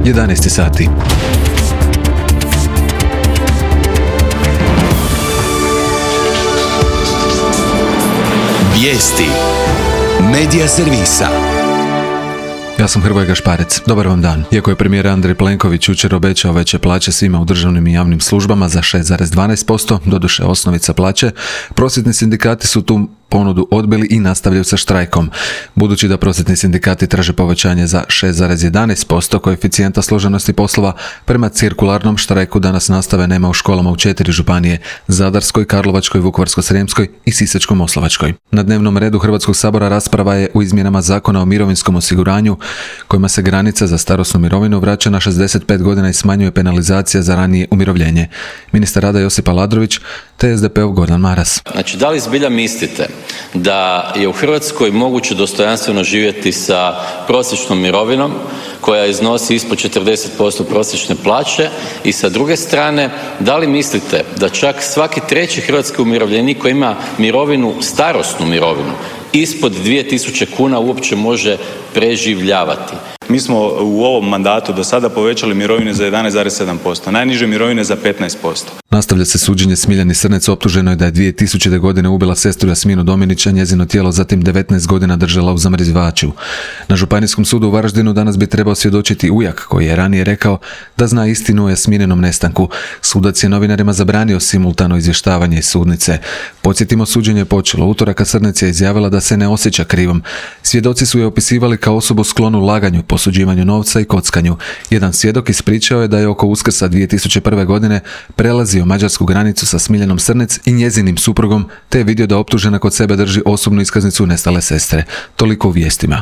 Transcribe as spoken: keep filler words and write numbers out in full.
jedanaest sati. Vijesti Medija servisa. Ja sam Hrvoje Gašparec. Dobar vam dan. Iako je premijer Andrej Plenković jučer obećao veće plaće svima u državnim i javnim službama za šest zarez dvanaest posto, doduše osnovica plaće, prosvjetni sindikati su tu ponudu odbili i nastavljaju sa štrajkom. Budući da prosvjetni sindikati traže povećanje za šest zarez jedanaest posto koeficijenta složenosti poslova, prema cirkularnom štrajku danas nastave nema u školama u četiri županije: Zadarskoj, Karlovačkoj, Vukovarsko-srijemskoj i Sisačko-moslavačkoj. Na dnevnom redu Hrvatskog sabora rasprava je u izmjenama Zakona o mirovinskom osiguranju, kojima se granica za starosnu mirovinu vraća na šezdeset pet godina i smanjuje penalizacija za ranije umirovljenje. Ministar rada Josip Aladrović te es de pe ov Gordan Maras. Znači, da li zbilja mislite da je u Hrvatskoj moguće dostojanstveno živjeti sa prosječnom mirovinom koja iznosi ispod četrdeset posto prosječne plaće, i sa druge strane, da li mislite da čak svaki treći hrvatski umirovljenik koji ima mirovinu, starosnu mirovinu, ispod dvije tisuće kuna uopće može preživljavati? Mi smo u ovom mandatu do sada povećali mirovine za jedanaest zarez sedam posto, najniže mirovine za petnaest posto. Nastavlja se suđenje Smiljani Srnec, optuženo je da je dvije tisućite. godine ubila sestru Jasminu Dominića, njezino tijelo zatim devetnaest godina držala u zamrzivaču. Na Županijskom sudu u Varaždinu danas bi trebao svjedočiti ujak, koji je ranije rekao da zna istinu o Jasmininom nestanku. Sudac je novinarima zabranio simultano izvještavanje iz sudnice. Podsjetimo, suđenje je počelo utorak, a Srnec je izjavila da se ne osjeća krivom. Svjedoci su je opisivali kao osobu sklonu laganju, posuđivanju novca i kockanju. Jedan svjedok ispričao je da je oko Uskrsa dvije tisuće prve. godine prelazio mađarsku granicu sa Smiljanom Srnec i njezinim suprugom, te je vidio da optužena kod sebe drži osobnu iskaznicu nestale sestre. Toliko u vijestima.